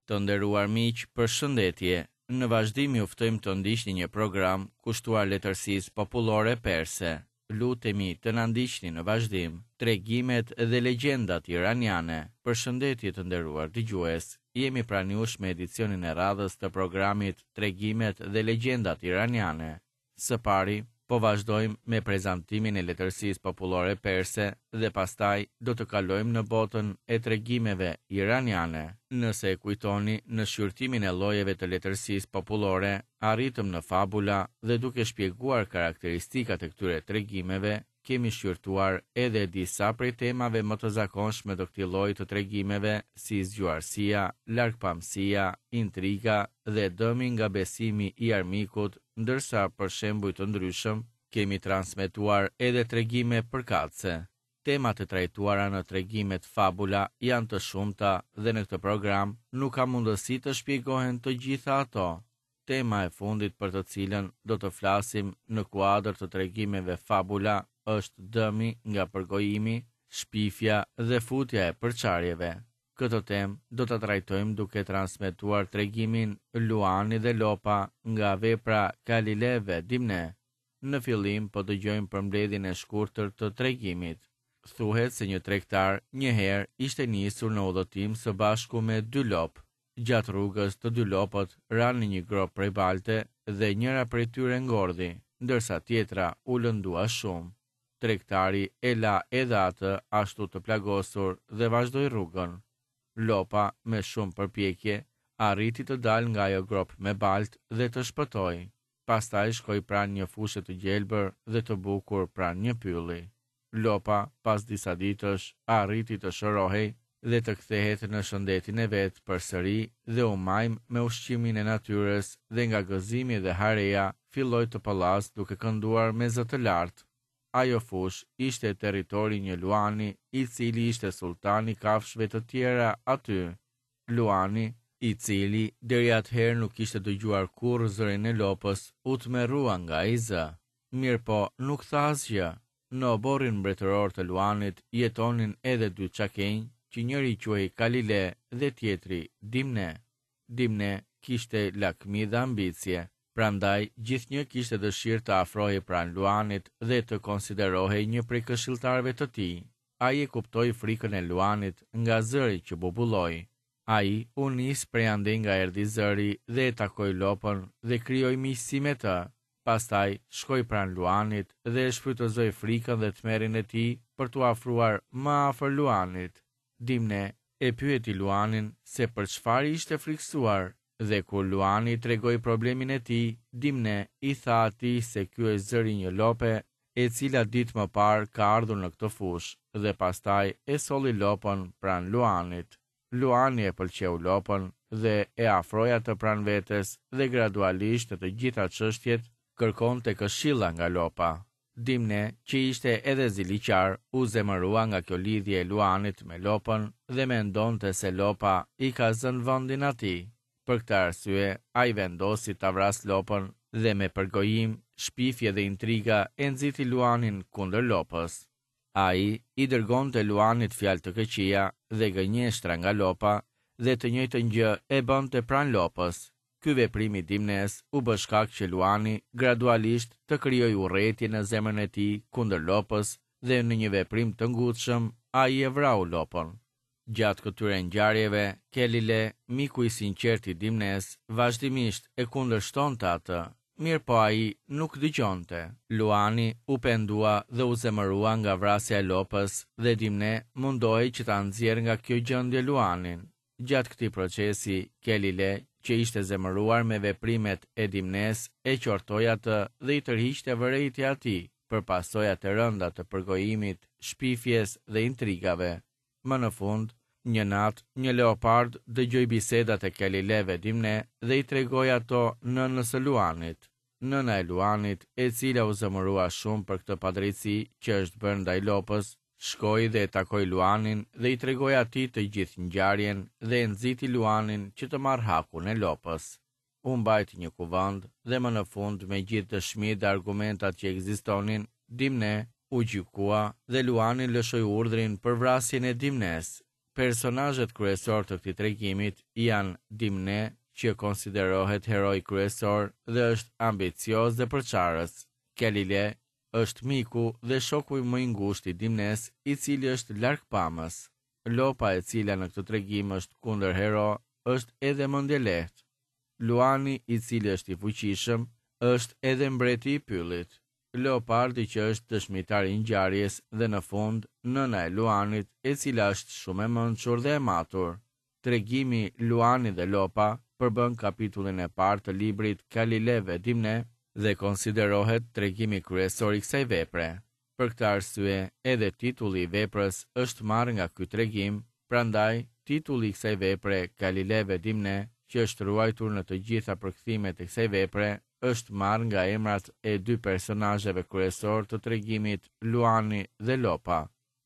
Të nderuar miq, përshëndetje. Në vazhdim ju ftojmë të ndiqni një program kushtuar letërsisë popullore perse. Lutemi të na ndiqni në vazhdim. Tregimet dhe legjendat iraniane. Përshëndetje të nderuar dëgjues. Jemi pranë jush me edicionin e radhës të programit Tregimet dhe legjendat iraniane. Së pari, po vazhdojmë me prezantimin e letërsisë popullore perse dhe pastaj do të kalojmë në botën e tregimeve iraniane. Nëse e kujtoni, në shqyrtimin e llojeve të letërsisë popullore, arritëm në fabula dhe duke shpjeguar karakteristikat e këtyre tregimeve, kemi shqyrtuar edhe disa prej temave më të zakonshme të këtij lloji të tregimeve si zgjuarsia, largpamësia, intriga dhe dëmi nga besimi i armikut, ndërsa për shembuj të ndryshëm kemi transmetuar edhe tregime përkatëse. Temat e trajtuara në tregimet fabula janë të shumta dhe në këtë program nuk ka mundësi të shpjegohen të gjitha ato. Tema e fundit për të cilën do të flasim në kuadër të tregimeve fabula është dëmi nga përgojimi, shpifja dhe futja e përçarjeve. Këtë temë do ta trajtojmë duke transmetuar tregimin Luani dhe Lopa nga vepra Kalile ve Dimne. Në fillim po dëgjojmë përmbledhjen e shkurtër të tregimit. Thuhet se një tregtar një herë ishte nisur në udhëtim së bashku me dy lopë. Gjatë rrugës të dy lopët ranë në një gropë prej balte dhe njëra prej tyre ngordhi, ndërsa tjetra u lëndua shumë. Tregtari e la edhe atë ashtu të plagosur dhe vazhdoi rrugën. Lopa, me shumë përpjekje, arriti të dalë nga ajo gropë me baltë dhe të shpëtojë. Pastaj shkoi pranë një fushe të gjelbër dhe të bukur pranë një pylli. Lopa, pas disa ditësh, arriti të shërohej dhe të kthehet në shëndetin e vet përsëri dhe u majm me ushqimin e natyrës dhe nga gëzimi dhe hareja filloi të pëllasë duke kënduar me zë të lartë. Ajo fushë ishte territori i një luani, i cili ishte sulltan i kafshëve të tjera aty. Luani, i cili deri atëherë nuk kishte dëgjuar kurrë zërin e lopës, u tmerrua nga ai zë. Mirëpo, nuk tha asgjë. Në oborrin mbretëror të Luanit jetonin edhe dy çakenj, që njëri quhej Kalile dhe tjetri Dimne. Dimne kishte lakmi dhe ambicie, prandaj gjithnjë kishte dëshirë të afrohej pranë Luanit dhe të konsiderohej një prej këshilltarëve të tij. Ai e kuptoi frikën e Luanit nga zëri që bubulloi. Ai u nis prej andej nga erdhi zëri dhe e takoi lopën dhe krijoi miqësi me të. Pastaj shkoi pranë luanit dhe e shfrytëzoi frikën dhe tmerrin e tij për t'u afruar më afër luanit. Dimne e pyeti luanin se për çfarë ishte frikësuar dhe kur luani i tregoi problemin e tij, Dimne i tha atij se ky është zëri i një lope e cila ditë më parë ka ardhur në këtë fushë dhe pastaj e solli lopën pranë luanit. Luani e pëlqeu lopën dhe e afroi atë pranë vetes dhe gradualisht në të gjitha çështjet kërkonte këshilla nga lopa. Dimne, që ishte edhe ziliqar, u zemërua nga kjo lidhje e luanit me lopën dhe mendonte se lopa i ka zënë vendin atij. Për këtë arsye, ai vendosi ta vrasë lopën dhe me përgojim, shpifje dhe intriga e nxiti luanin kundër lopës. Ai i dërgonte luanit fjalë të këqija dhe gënjeshtra nga lopa dhe të njëjtën gjë e bënte pranë lopës. Ky veprim i Dimnes u bë shkak që luani gradualisht të krijojë urrejtje në zemrën e tij kundër lopës dhe në një veprim të ngutshëm ai e vrau lopën. Gjatë këtyre ngjarjeve, Kelile, miku i sinqertë i Dimnes, vazhdimisht e kundërshtonte atë, mirëpo ai nuk dëgjonte. Luani u pendua dhe u zemërua nga vrasja e lopës dhe Dimne mundohej që ta nxjerrë nga kjo gjendje Luanin. Gjatë këtij procesi, Kelile, që ishte zemëruar me veprimet e Dimnes, e qortoi atë dhe i tërhiqte vërejtje atij për pasojat e rënda të përgojimit, shpifjes dhe intrigave. Më në fund, një natë, një leopard dëgjoi bisedat e Kelile ve Dimne dhe i tregoi ato nënës së luanit. Nëna e luanit, e cila u zemërua shumë për këtë padrejtësi që është bërë ndaj lopës, shkoi dhe e takoi luanin dhe i tregoi atij të gjithë ngjarjen dhe e nxiti luanin që të marrë hakun e lopës. U mbajt një kuvend dhe më në fund me gjithë dëshmitë dhe argumentat që ekzistonin, Dimne u gjykua dhe Luani lëshoi urdhrin për vrasjen e Dimnes. Personazhet kryesorë të këtij tregimit janë Dimne, që konsiderohet heroi kryesor dhe është ambicioz dhe përçarës. Kelile është miku dhe shoku më i ngushtë i Dimnes, i cili është largpamës. Lopa e cila në këtë tregim është kundërhero, është edhe mendjelehtë. Luani i cili është i fuqishëm, është edhe mbreti i pyllit. Leopardi që është dëshmitar i ngjarjes dhe në fund nëna e Luanit e cila është shumë e mençur dhe e matur. Tregimi Luani dhe Lopa përbën kapitullin e parë të librit Kalile ve Dimne dhe konsiderohet tregimi kryesor i kësaj vepre. Për këtë arsye edhe titulli i veprës është marrë nga ky tregim, prandaj titulli i kësaj vepre Kalile ve Dimne që është ruajtur në të gjitha përkthimet e kësaj vepre është marrë nga emrat e dy personazheve kryesorë të tregimit Luani dhe Lopa.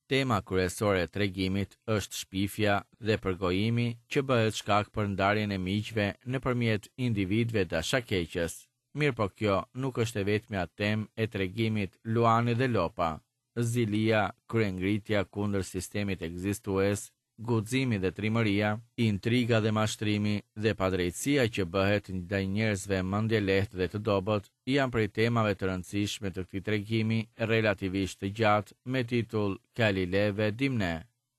Tema kryesore e tregimit është shpifja dhe përgojimi që bëhet shkak për ndarjen e miqve nëpërmjet individëve dashakeqës. Mirëpo kjo nuk është e vetmja temë e tregimit Luani dhe Lopa. Zilia, kryengritja kundër sistemit ekzistues, guximi dhe trimëria, intriga dhe mashtrimi dhe padrejtësia që bëhet ndaj njerëzve mendjelehtë dhe të dobët, janë prej temave të rëndësishme të këtij tregimi relativisht të gjatë me titull Kalile ve Dimne.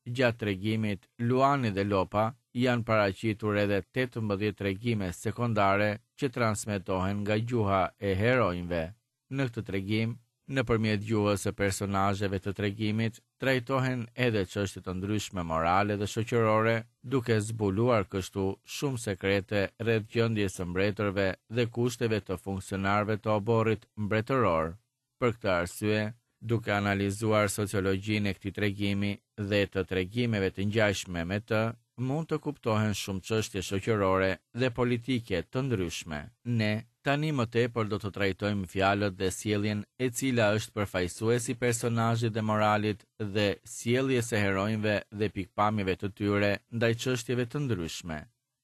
Gjatë tregimit Luani dhe Lopa janë paraqitur edhe 18 tregime sekondare që transmetohen nga gjuha e heronjve. Në këtë tregim, nëpërmjet gjuhës së personazheve të tregimit, trajtohen edhe çështje të ndryshme morale dhe shoqërore, duke zbuluar kështu shumë sekrete rreth gjendjes së mbretërve dhe kushteve të funksionarëve të oborrit mbretëror. Për këtë arsye, duke analizuar sociologjinë e këtij tregimi dhe të tregimeve të ngjashme me të, mund të kuptohen shumë çështje shoqërore dhe politike të ndryshme. Ne, tani më tepër do të trajtojmë fjalët dhe sjelljen e cila është përfaqësues i personazhit dhe moralit dhe sjelljes së heronjve dhe pikëpamjeve të tyre ndaj çështjeve të ndryshme.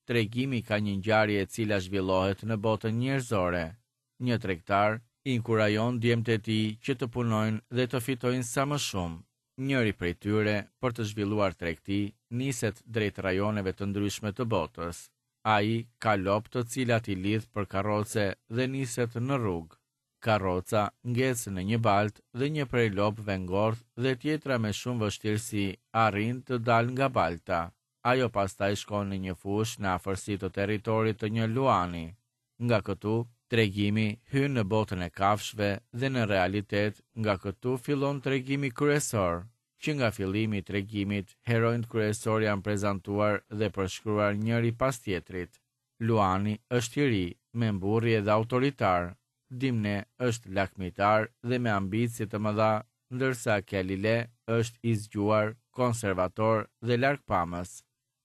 Tregimi ka një ngjarje e cila zhvillohet në botën njerëzore. Një tregtar inkurajon djemtë e tij që të punojnë dhe të fitojnë sa më shumë. Njëri prej tyre, për të zhvilluar tregti, niset drejt rajoneve të ndryshme të botës. Ai ka lopë të cilat i lidh për karroce dhe niset në rrugë. Karroca ngec në një baltë dhe një prej lopëve ngordh dhe tjetra me shumë vështirësi arrin të dalë nga balta. Ajo pastaj shkon në një fushë në afërsi të territorit të një luani. Nga këtu, tregimi hyn në botën e kafshëve dhe në realitet nga këtu fillon tregimi kryesor. Që nga fillimi i tregimit, heronjtë kryesorë janë prezantuar dhe përshkruar njëri pas tjetrit. Luani është i ri, me mburrje dhe autoritar. Dimne është lakmitar dhe me ambicie të mëdha, ndërsa Kelile është i zgjuar, konservator dhe largpamës.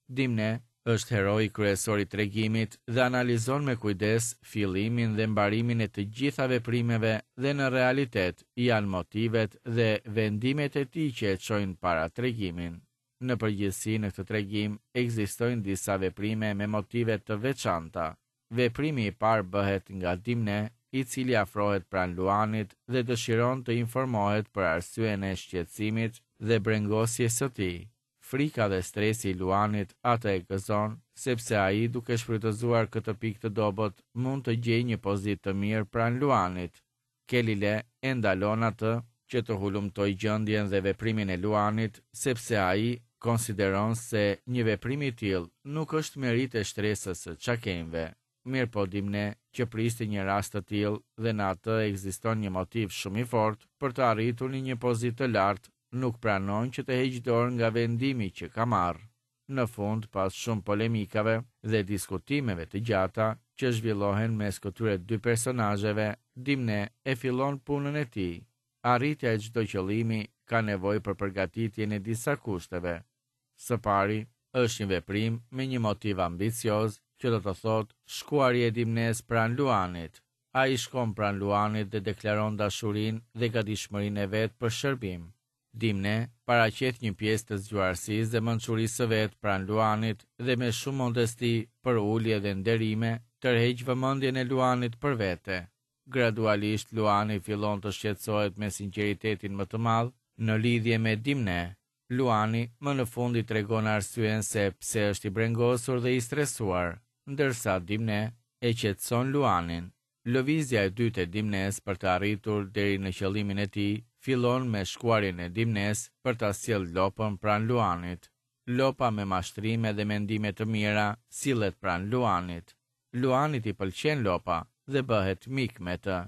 Dimne është heroi kryesor i tregimit dhe analizon me kujdes fillimin dhe mbarimin e të gjitha veprimeve dhe në realitet janë motivet dhe vendimet e tij që e çojnë para tregimin. Në përgjithësi në këtë tregim ekzistojnë disa veprime me motive të veçanta. Veprimi i parë bëhet nga Dimne, i cili afrohet pranë Luanit dhe dëshiron të informohet për arsyen e shqetësimit dhe brengosjes së tij. Frika dhe stresi i Luanit atë e gëzon, sepse ai duke shfrytëzuar këtë pikë të dobët mund të gjejë një pozitë të mirë pranë Luanit. Kelile e ndalon atë që të hulumtojë gjendjen dhe veprimin e Luanit, sepse ai konsideron se një veprim i tillë nuk është meritë e shtresës së çakenjve. Mirëpo Dimne që priste një rast të tillë dhe në atë ekziston një motiv shumë i fortë për të arritur në një pozitë të lartë, nuk pranon që të heqë dorë nga vendimi që ka marrë. Në fund, pas shumë polemikave dhe diskutimeve të gjata që zhvillohen mes këtyre dy personazheve, Dimne e fillon punën e tij. Arritja e çdo qëllimi ka nevojë për përgatitjen e disa kushteve. Së pari, është një veprim me një motiv ambicioz, që do të thotë shkuarje e Dimnes pranë Luanit. Ai shkon pranë Luanit dhe deklaron dashurinë dhe gatishmërinë e vet për shërbim. Dimne paraqet një pjesë të zgjuarsisë dhe mençurisë së vet pranë Luanit dhe me shumë modesti, përulje dhe nderime, tërheq vëmendjen e Luanit për vete. Gradualisht Luani fillon të shqetësohet me sinqeritetin më të madh në lidhje me Dimne. Luani më në fund i tregon arsyen se pse është i brengosur dhe i stresuar, ndërsa Dimne e qetëson Luanin. Lëvizja e dytë e Dimnes për të arritur deri në qëllimin e tij fillon me shkuarjen e Dimnes për ta sjellë lopën pranë Luanit. Lopa me mashtrime dhe mendime të mira sillet pranë Luanit. Luanit i pëlqen lopa dhe bëhet mik me të.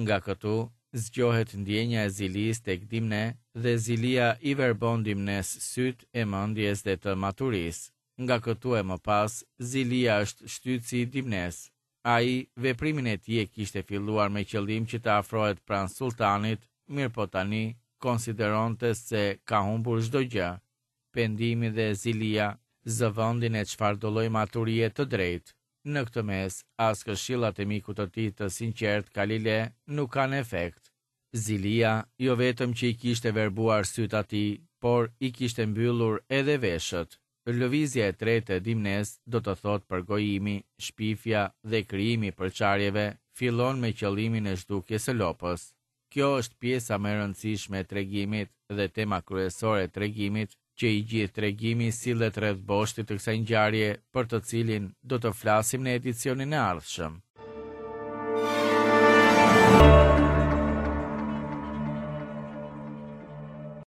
Nga këtu zgjohet ndjenja e zilisë tek Dimne dhe zilia i verbon Dimnes sytë e mendjes dhe të maturisë. Nga këtu e më pas, zilia është shtytësi i Dimnes. Ai, veprimin e tij e kishte filluar me qëllim që të afrohet pranë sulltanit, mirëpo tani konsideronte se ka humbur çdo gjë. Pendimi dhe zilia zë vendin e çfarëdolloj maturie të drejtë. Në këtë mes, as këshillat e mikut të tij të sinqertë Kalile nuk kanë efekt. Zilia jo vetëm që i kishte verbuar sytë atij, por i kishte mbyllur edhe veshët. Lëvizja e tretë e Dimnes, do të thotë përgojimi, shpifja dhe krijimi i përçarjeve, fillon me qëllimin e zhdukjes së lopës. Kjo është pjesa më e rëndësishme e tregimit dhe tema kryesore e tregimit, që i gjithë tregimi sillet rreth boshtit të kësaj ngjarje për të cilin do të flasim në edicionin e ardhshëm.